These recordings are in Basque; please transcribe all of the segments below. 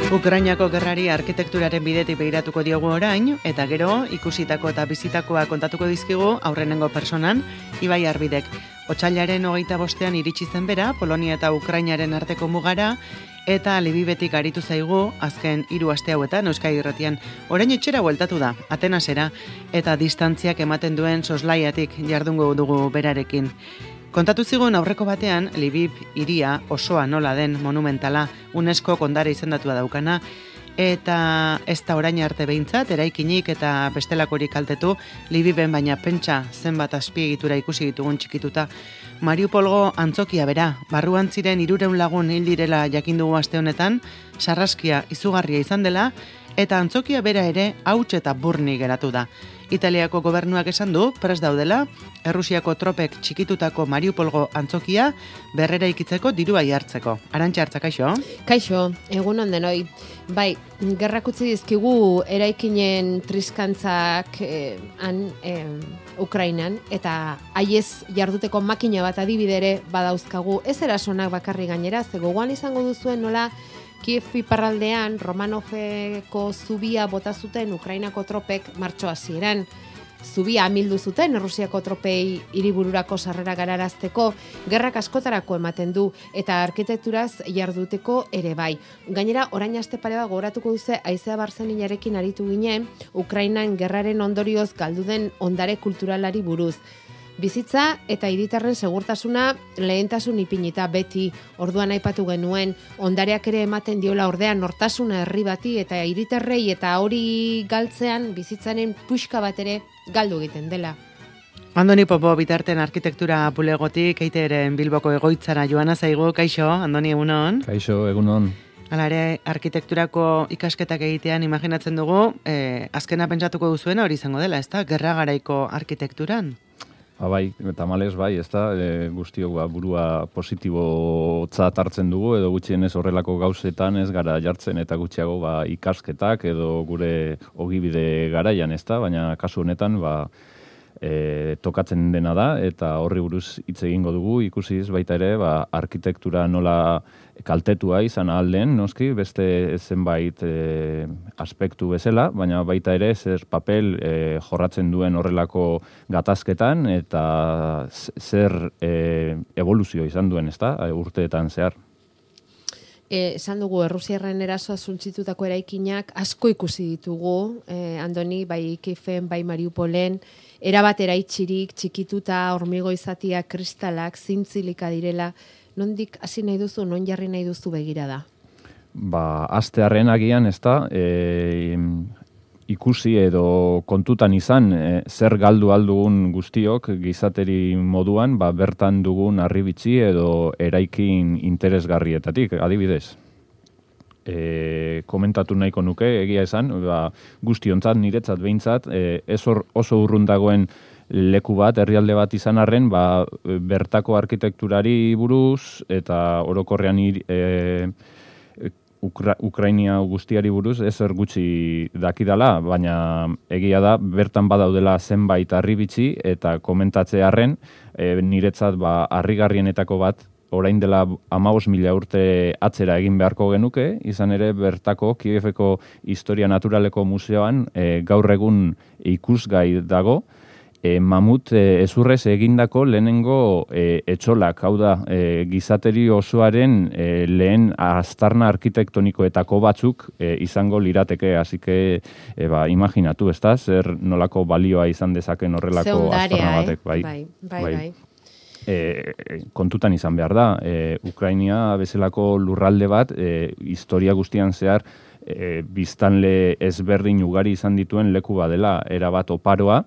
Ukrainako gerrari arkitekturaren bidetik begiratuko diogu orain, eta gero ikusitako eta bizitakoa kontatuko dizkigu aurrenengo personan, Ibai Arbidek. Otsailaren 25ean iritsi zen bera, Polonia eta Ukrainaren arteko mugara, eta Lvivetik aritu zaigu azken 3 aste hauetan Euskadi Irratian. Orain etxera bueltatu da, Atenasera, eta distantziak ematen duen soslaiatik jardungo dugu berarekin. Kontatu zigun aurreko batean, Lviv hiria osoa nola den monumentala, UNESCO ondare izendatua daukana, eta ez da orain arte behintzat, eraikinik eta bestelakorik kaltetu, Lviven baina pentsa zenbat azpiegitura ikusi ditugun txikituta. Mariupolgo antzokia bera, barruan ziren 300 lagun hil direla jakin dugu aste honetan, sarraskia izugarria izan dela, eta antzokia bera ere hauts eta burni geratu da. Italiako gobernuak esan du, prest daudela, Errusiako tropek txikitutako Mariupolgo antzokia berrera ikitzeko dirua jartzeko. Arantxa Hartza, kaixo? Kaixo, egun on denoi. Bai, gerrak utzi dizkigu eraikinen triskantzak Ukrainan, eta haiez jarduteko makina bat adibidere badauzkagu, ez erasonak bakarri gainera, ze gogoan izango duzuen nola Kiev iparraldean Romanoveko zubia bota zuten Ukrainako tropek martxo hasieran. Zubia amildu zuten Errusiako tropei hiribururako sarrera gararazteko, gerrak askotarako ematen du eta arkitekturaz jarduteko ere bai. Gainera, orain aste pare bat gogoratuko duze Aizea Barzeninarekin aritu ginen, Ukrainan gerraren ondorioz galdu den ondare kulturalari buruz. Bizitza eta hiritarren segurtasuna lehentasun ipinita beti, orduan aipatu genuen, ondareak ere ematen diola ordean nortasuna herri bati eta hiritarrei eta hori galtzean bizitzaren puxka bat ere galdu egiten dela. Andoni Popo bitarten arkitektura bulegotik eiteren Bilboko egoitzara joana zaigu, kaixo, Andoni egunon? Kaixo, egunon. Hala ere, arkitekturako ikasketak egitean imaginatzen dugu, azkena pentsatuko duzuena hori izango dela, ezta? Gerra garaiko arkitekturan? Bai, tamalez bai, ezta, guztiok burua positibotzat hartzen dugu, edo gutxienez horrelako gauzetan ez gara jartzen eta gutxiago ikasketak edo gure ogibide garaian, ezta, baina kasu honetan tokatzen dena da, eta horri buruz hitz egingo dugu, ikusiz baita ere, arkitektura nola kaltetua izan alden, noski, beste zenbait aspektu bezala, baina baita ere zer papel jorratzen duen horrelako gatazketan, eta zer evoluzio izan duen, ezta, urteetan zehar. Esan dugu, Errusiarren erasoa suntzitutako eraikinak asko ikusi ditugu, Andoni, bai Kieven, bai Mariupolen, erabat eraitxirik, txikituta, hormigo izatia, kristalak, zintzilika direla, nondik hasi nahi duzu, non jarri nahi duzu begirada? Astearren agian, ezta, ikusi edo kontutan izan zer galdu aldugun guztiok gizateri moduan, bertan dugun harribitxi edo eraikin interesgarrietatik, adibidez. Komentatu nahiko nuke, egia esan, guztiontzat, niretzat behintzat, ez oso urrun dagoen leku bat, herrialde bat izan arren, bertako arkitekturari buruz, eta orokorrean Ukrainia guztiari buruz ezer gutxi dakidala, baina egia da bertan badaudela zenbait harribitxi eta komentatzearren niretzat harrigarrienetako bat orain dela 15.000 urte atzera egin beharko genuke, izan ere bertako Kieveko Historia Naturaleko Museoan gaur egun ikusgai dago, mamut ezurrez egindako lehenengo etxolak, hau da, gizateri osoaren lehen aztarna arkitektonikoetako batzuk izango lirateke, hasi que imaginatu, ezta, zer nolako balioa izan dezaken horrelako aztarna batek. Bai. Kontutan izan behar da, Ukrainia bezalako lurralde bat, historia guztian zehar, biztanle ezberdin ugari izan dituen leku badela, erabat oparoa,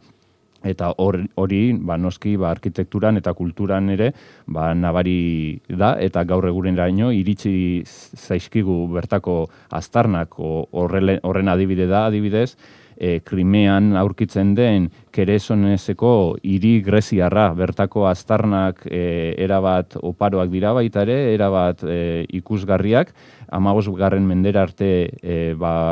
eta hori noski arkitekturan eta kulturan ere nabari da, eta gaur eguneraino iritsi zaizkigu bertako aztarnak, horren adibide da, adibidez, Krimean aurkitzen den Keresonezeko hiri greziarra, bertako aztarnak erabat oparoak dira baita ere, erabat ikusgarriak, 15. mendera arte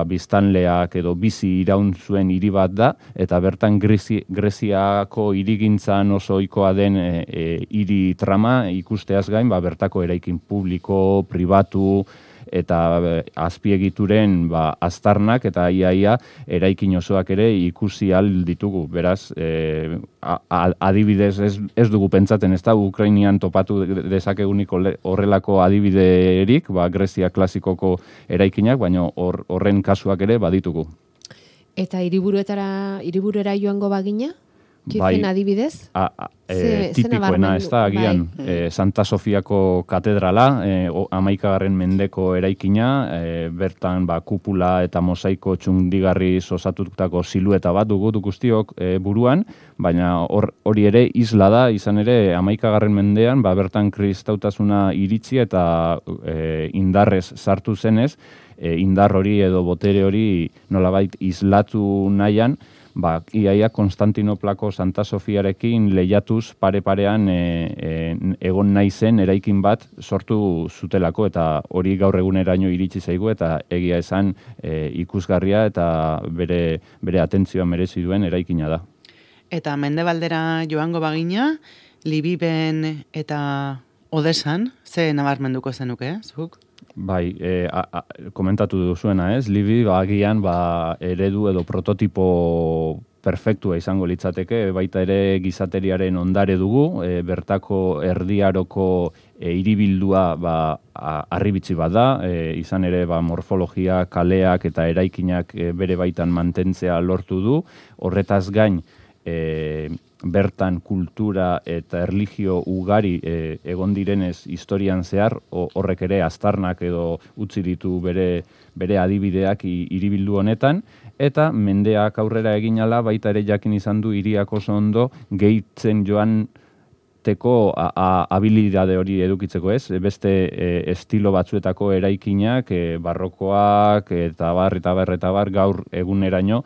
biztanleak edo bizi iraun zuen hiri bat da, eta bertan Greziako hirigintzan oso ohikoa den hiri trama ikusteaz gain, bertako eraikin publiko, pribatu, eta azpiegituren aztarnak eta iaia eraikin osoak ere ikusi ahal ditugu. Beraz, adibidez ez dugu pentsatzen, ez da, Ukrainian topatu dezakegunik horrelako adibiderik, Grezia klasikoko eraikinak, baina horren kasuak ere baditugu. Eta hiriburera joango bagina? Kifen adibidez? Tipikoena, ez da, agian, Santa Sofiako katedrala, 11. mendeko eraikina, bertan kupula eta mosaiko txundigarri osatutako silueta bat dugu guztiok buruan, baina hori ere isla da, izan ere 11. mendean, bertan kristautasuna iritsi eta indarrez sartu zenez, indar hori edo botere hori nolabait islatu nahian, iaia Konstantinoplako Santa Sofiarekin lehiatuz pare-parean egon nahi zen eraikin bat sortu zutelako, eta hori gaur eguneraino iritsi zaigu, eta egia esan ikusgarria eta bere atentzioa merezi duen eraikina da. Eta mendebaldera joango bagina, Libiben eta Odesan, ze nabarmenduko zenuke, zuk? Bai, komentatu duzuena, ez? Libi agian eredu edo prototipo perfektua izango litzateke, baita ere gizateriaren ondare dugu, bertako erdiaroko hiribildua harribitzi bat da, izan ere morfologia, kaleak eta eraikinak bere baitan mantentzea lortu du, horretaz gain bertan kultura eta erlijio ugari egon direnez historian zehar, horrek ere aztarnak edo utzi ditu bere adibideak hiribildu honetan, eta mendeak aurrera egin ala baita ere jakin izan du hiriak oso ondo gehitzen joan teko habilidade hori edukitzeko, ez? Beste estilo batzuetako eraikinak, barrokoak eta bar gaur eguneraino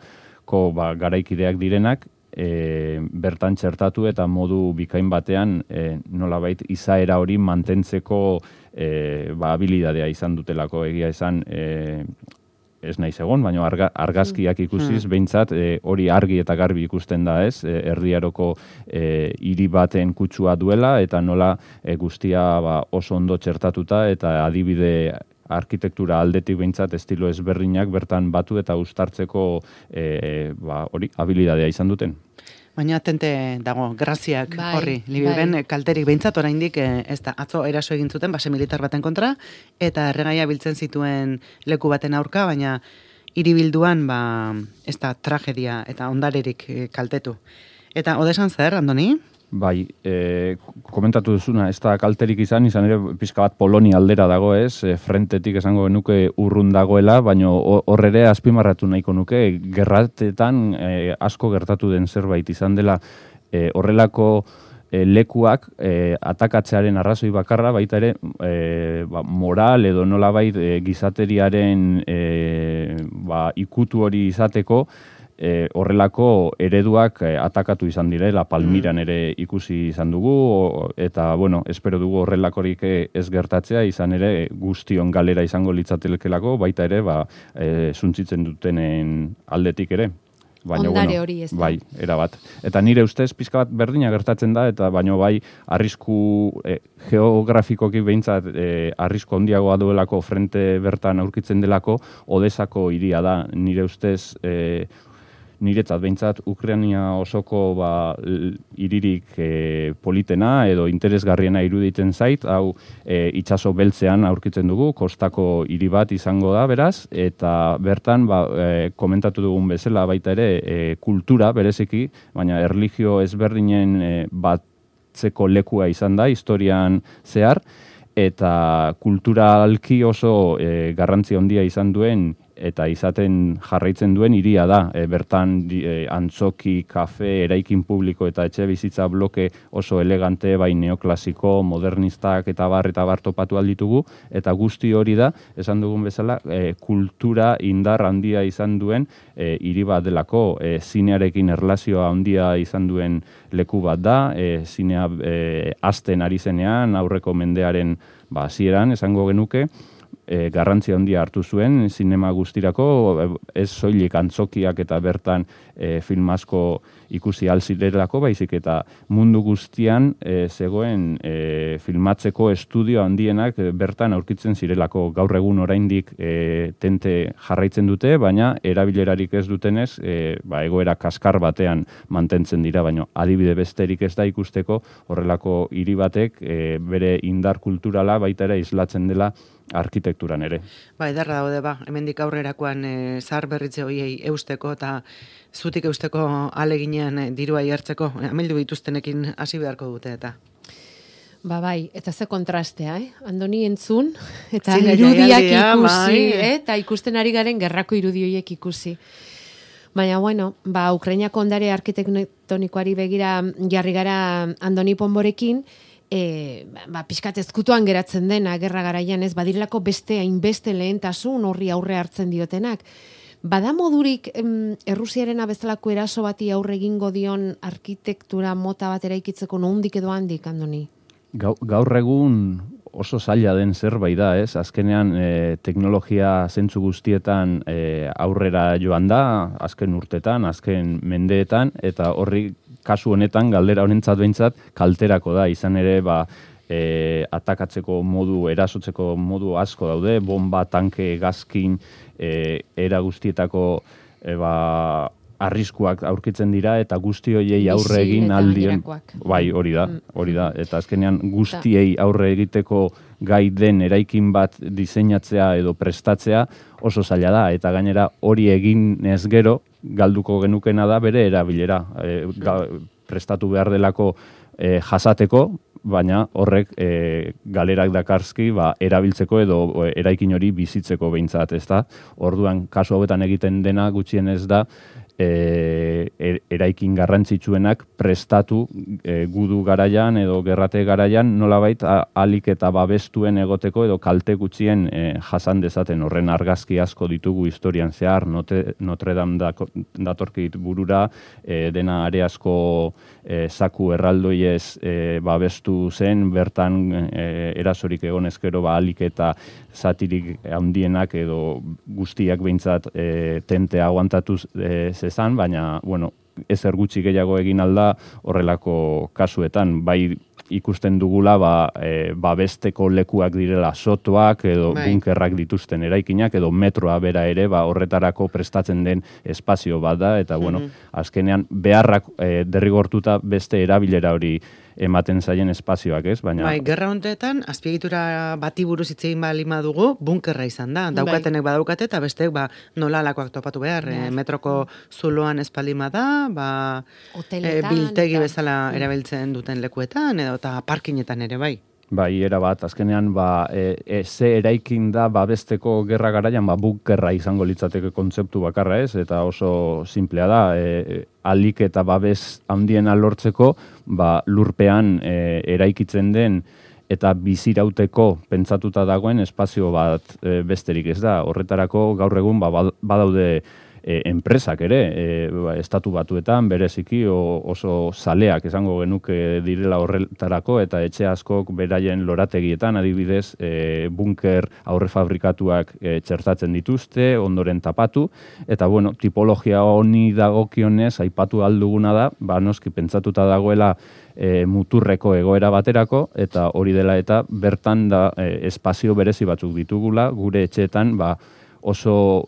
garaikideak direnak, bertan txertatu eta modu bikain batean nolabait izaera hori mantentzeko habilidadea izan dutelako, egia esan ez naiz egon, baina argazkiak ikusiz, behintzat hori argi eta garbi ikusten da, ez? Erdiaroko hiri baten kutsua duela eta nola guztia oso ondo txertatuta eta adibide arkitektura aldetik behintzat estilo ezberdinak bertan batu eta uztartzeko hori habilidadea izan duten. Baina atente dago, graziak horri, Libiben kalterik behintzat oraindik ez da, atzo eraso egin zuten base militar baten kontra, eta erregaia biltzen zituen leku baten aurka, baina hiribilduan ez da tragedia eta ondarerik kaltetu. Eta Odesan zer, Andoni? Bai, komentatu duzuna, ez da kalterik izan ere pixka bat Polonia aldera dago, ez? Frentetik esango genuke urrun dagoela, baina hor ere azpimarratu nahiko nuke, gerratetan asko gertatu den zerbait izan dela horrelako lekuak atakatzearen arrazoi bakarra, baita ere moral edo nolabait gizateriaren ikutu hori izateko, horrelako ereduak atakatu izan direla, Palmiran ere ikusi izan dugu, eta, espero dugu horrelakorik ez gertatzea, izan ere guztion galera izango litzatelekelako, baita ere, suntzitzen dutenen aldetik ere. Ondare hori ez da. Bai, erabat. Eta nire ustez pizka bat berdina gertatzen da, eta baino arrisku geografikoki behintzat arrisku handiagoa duelako frente bertan aurkitzen delako, Odesako hiria da, nire ustez niretzat behintzat Ukraina osoko hiririk politena edo interesgarriena iruditzen zait, hau itsaso beltzean aurkitzen dugu, kostako hiri bat izango da beraz, eta bertan komentatu dugun bezala baita ere kultura bereziki, baina erlijio ezberdinen batzeko lekua izan da historian zehar, eta kulturalki oso garrantzia handia izan duen eta izaten jarraitzen duen hiria da. Bertan antzoki, kafe, eraikin publiko eta etxe bizitza bloke oso elegante, bai neoklasiko, modernistak eta bar topatu alditugu, eta guzti hori da, esan dugun bezala, kultura indar handia izan duen hiri bat delako, zinearekin erlazioa handia izan duen leku bat da, zinea hasten ari zenean, aurreko mendearen hasieran esango genuke, garrantzia handia hartu zuen zinema guztirako, ez soilik antzokiak eta bertan film asko ikusi alzirelako, baizik eta mundu guztian zegoen filmatzeko estudio handienak bertan aurkitzen zirelako. Gaur egun oraindik tente jarraitzen dute, baina erabilerarik ez dutenez, egoera kaskar batean mantentzen dira, baina adibide besterik ez da ikusteko horrelako hiri batek bere indar kulturala baita ere islatzen dela arkitekturan ere. Ederra daude, hemendik aurrerakoan zahar berritze hoiei eusteko eta zutik eusteko aleginean dirua jartzeko, amildu dituztenekin hasi beharko dute eta. Bai, eta ze kontrastea, Andoni entzun, eta irudiak ikusi, eta ikusten ari garen gerrako irudioiek ikusi. Baina, Ukrainako ondare arkitektonikoari begira jarri gara Andoni Ponborekin, pixkat ezkutuan geratzen dena gerra garaian, ez badirelako beste hainbeste lehentasun horri aurre hartzen diotenak. Bada modurik Errusiaren bezalako eraso bati aurre egingo dion arkitektura mota bat eraikitzeko nondik edo handik, Andoni? Gaur egun oso zaila den zerbait da, ez? Azkenean teknologia zentzu guztietan aurrera joan da, azken urtetan, azken mendeetan, eta horri kasu honetan, galdera honentzat behintzat, kalterako da, izan ere, atakatzeko modu, erasotzeko modu asko daude, bomba, tanke, gazkin, era guztietako arriskuak aurkitzen dira, eta guzti horiei aurre egin aldien. Bai, hori da. Eta azkenean guztiei aurre egiteko gai den eraikin bat diseinatzea edo prestatzea oso zaila da, eta gainera hori egin ez gero, galduko genukena da bere erabilera. Prestatu behar delako jasateko, baina horrek galerak dakarzki erabiltzeko edo eraikin hori bizitzeko behintzat, ez da? Orduan, kasu hauetan egiten dena gutxienez da, eraikin garrantzitsuenak prestatu gudu garaian edo gerrate garaian nolabait alik eta babestuen egoteko edo kalte gutxien jasan dezaten. Horren argazki asko ditugu historian zehar, Notre Dame datorkit burura, dena are asko zaku erraldoiez babestu zen, bertan erasorik egon ezkero alik eta zatirik handienak edo guztiak behintzat tente aguantatu zezan, baina, ezer gutxi gehiago egin alda horrelako kasuetan, bai ikusten dugula babesteko lekuak direla sotoak edo bunkerrak dituzten eraikinak edo metroa bera ere horretarako prestatzen den espazio bat da, eta azkenean beharrak derrigortuta beste erabilera hori ematen zaien espazioak, ez? Baina gerra hontetan azpiegitura bati buruz hitz egin balima dugu, bunkerra izan da. Daukatenek badaukate eta besteek nola alakoak topatu behar, metroko zuloan espalima da, biltegi bezala erabiltzen duten lekuetan edo eta parkinetan ere bai. Bai, erabat, azkenean ze eraikin da babesteko gerra garaian bunkerra izango litzateke kontzeptu bakarra, ez? Eta oso simplea da, alik eta babes handiena lortzeko, lurpean eraikitzen den eta bizirauteko pentsatuta dagoen espazio bat besterik ez da. Horretarako gaur egun badaude enpresak ere, estatu batuetan bereziki oso zaleak esango genuke direla horretarako, eta etxe askok beraien lorategietan adibidez bunker aurre fabrikatuak txertatzen dituzte, ondoren tapatu, eta tipologia honi dagokionez aipatu alduguna da, noski pentsatuta dagoela muturreko egoera baterako, eta hori dela eta bertan da espazio berezi batzuk ditugula, gure etxeetan oso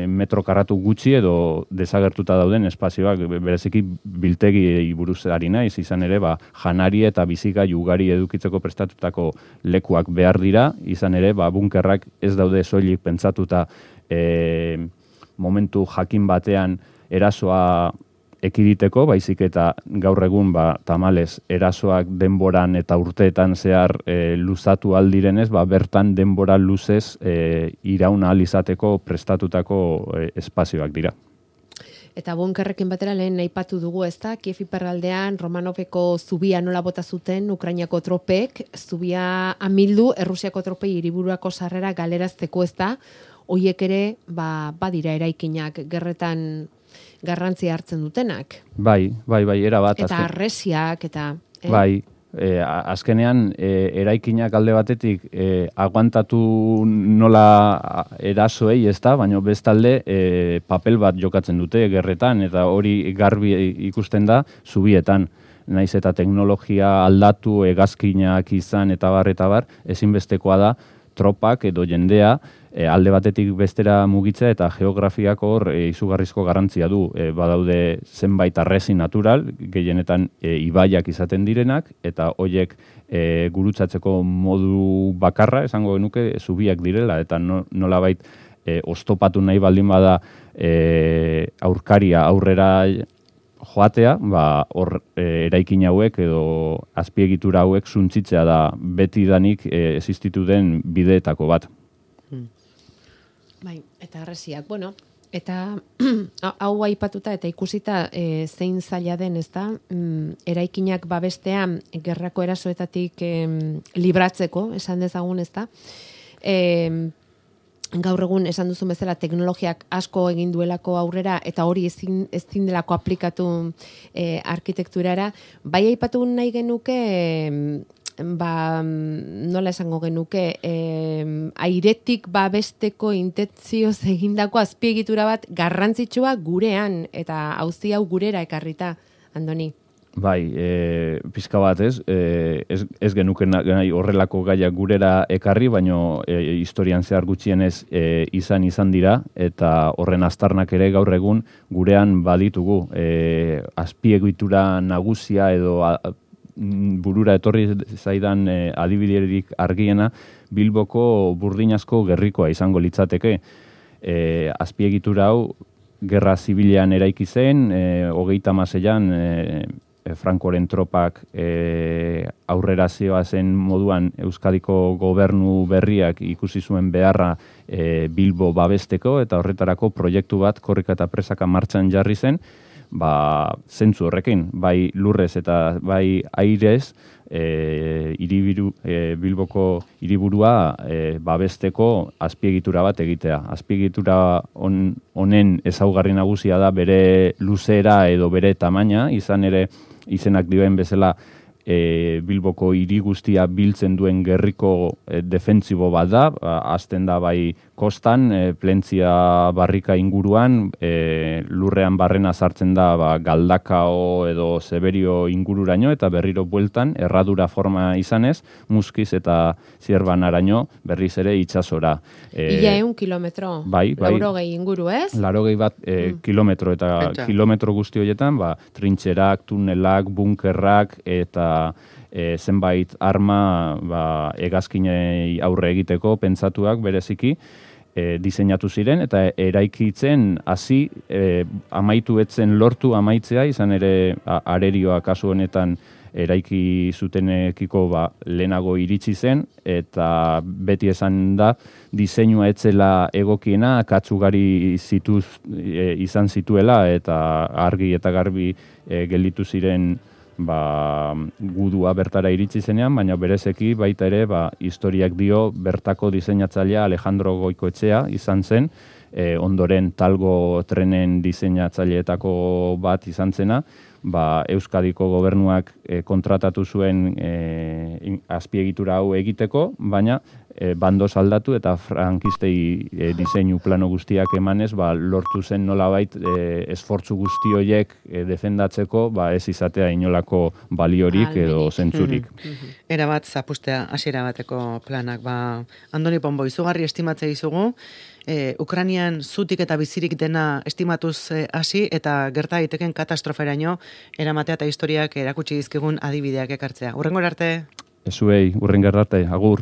metro karratu gutxi edo desagertuta dauden espazioak, bereziki biltegi buruz ari naiz, izan ere janari eta bizigai ugari edukitzeko prestatutako lekuak behar dira, izan ere bunkerrak ez daude soilik pentsatuta momentu jakin batean erasoa ekiditeko, baizik eta gaur egun tamalez erasoak denboran eta urteetan zehar luzatu aldirenez, bertan denbora luzez iraun ahal izateko prestatutako espazioak dira. Eta bunkerrekin batera lehen aipatu dugu, ez da, Kiev iparraldean Romanoveko zubia nola bota zuten Ukrainako tropek, zubia amildu, Errusiako tropei hiriburuako sarrera galerazteko, ez da, hoiek ere badira eraikinak gerretan garrantzia hartzen dutenak. Bai, erabat. Eta arresiak, eta... Bai, azkenean eraikinak alde batetik aguantatu nola erasoei, ez da, baina bestalde papel bat jokatzen dute gerretan, eta hori garbi ikusten da zubietan. Naiz eta teknologia aldatu, hegazkinak izan eta bar, ezinbestekoa da tropak edo jendea alde batetik bestera mugitzea eta geografiak hor izugarrizko garrantzia du. Badaude zenbait harresi natural, gehienetan ibaiak izaten direnak, eta hoiek gurutzatzeko modu bakarra, esango genuke, zubiak direla, eta nolabait oztopatu nahi baldin bada aurkaria aurrera joatea, hor eraikin hauek edo azpiegitura hauek suntzitzea da beti danik existitu den bideetako bat. Bai, eta harresiak, bueno, eta hau aipatuta eta ikusita zein zaila den, ezta? Eraikinak babestean gerrako erasoetatik libratzeko, esan dezagun, ezta? Gaur egun esan duzun bezala teknologiak asko egin duelako aurrera eta hori ezin delako aplikatu arkitekturara. Bai aipatu nahi genuke, nola esango genuke, airetik babesteko intentzioz egindako azpiegitura bat garrantzitsua gurean eta auzi hau gurera ekarrita, Andoni. Bai, pizka bat ez genuke nahi horrelako gaiak gurera ekarri, baino historian zehar gutxienez izan dira, eta horren aztarnak ere gaur egun gurean baditugu. Azpiegitura nagusia edo burura etorri zaidan adibiderik argiena Bilboko burdinazko gerrikoa izango litzateke. Azpiegitura hau gerra zibilean eraiki zen, 36an Frankoren tropak aurrera zen moduan Euskadiko gobernu berriak ikusi zuen beharra Bilbo babesteko, eta horretarako proiektu bat korrika eta presaka martxan jarri zen, zentzu horrekin, bai lurrez eta bai airez, Bilboko hiriburua babesteko azpiegitura bat egitea. Azpiegitura honen ezaugarri nagusia da bere luzera edo bere tamaina, izan ere izenak dioen bezala Bilboko hiri guztia biltzen duen gerriko defentsibo bat da, hasten da bai kostan, Plentzia barrika inguruan, lurrean barrena sartzen da Galdakao edo Zeberio ingururaino, eta berriro bueltan, erradura forma izanez, Muskiz eta Zierbanaraino berriz ere itsasora. Ia 1 kilometro, laurogei inguru, ez? Laurogei bat kilometro, eta kilometro guzti horietan, trintxerak, tunelak, bunkerrak, eta zenbait arma hegazkinei aurre egiteko pentsatuak bereziki diseinatu ziren, eta eraikitzen hasi amaitu etzen lortu amaitzea, izan ere arerioa kasu honetan eraiki zutenekiko lehenago iritsi zen, eta beti esan da diseinua etzela egokiena, katzugari izan zituela, eta argi eta garbi gelditu ziren gudua bertara iritsi zenean, baina berezeki baita ere historiak dio bertako diseinatzailea Alejandro Goikoetxea izan zen, ondoren Talgo trenen diseinatzaileetako bat izan zena, Euskadiko gobernuak kontratatu zuen azpiegitura hau egiteko, baina bandoz aldatu eta frankistei diseinu plano guztiak emanez, lortu zen nolabait esfortzu guzti horiek defendatzeko, ez izatea inolako baliorik edo zentzurik. Era bat zapustea hasiera bateko planak. Andoni Pombo, izugarri estimatzea izugu, Ukrainian zutik eta bizirik dena estimatuz hasi eta gerta daiteken katastroferaino eramatea eta historiak erakutsi dizkigun adibideak ekartzea. Hurrengora arte? Ezuei, hurrengora arte, agur.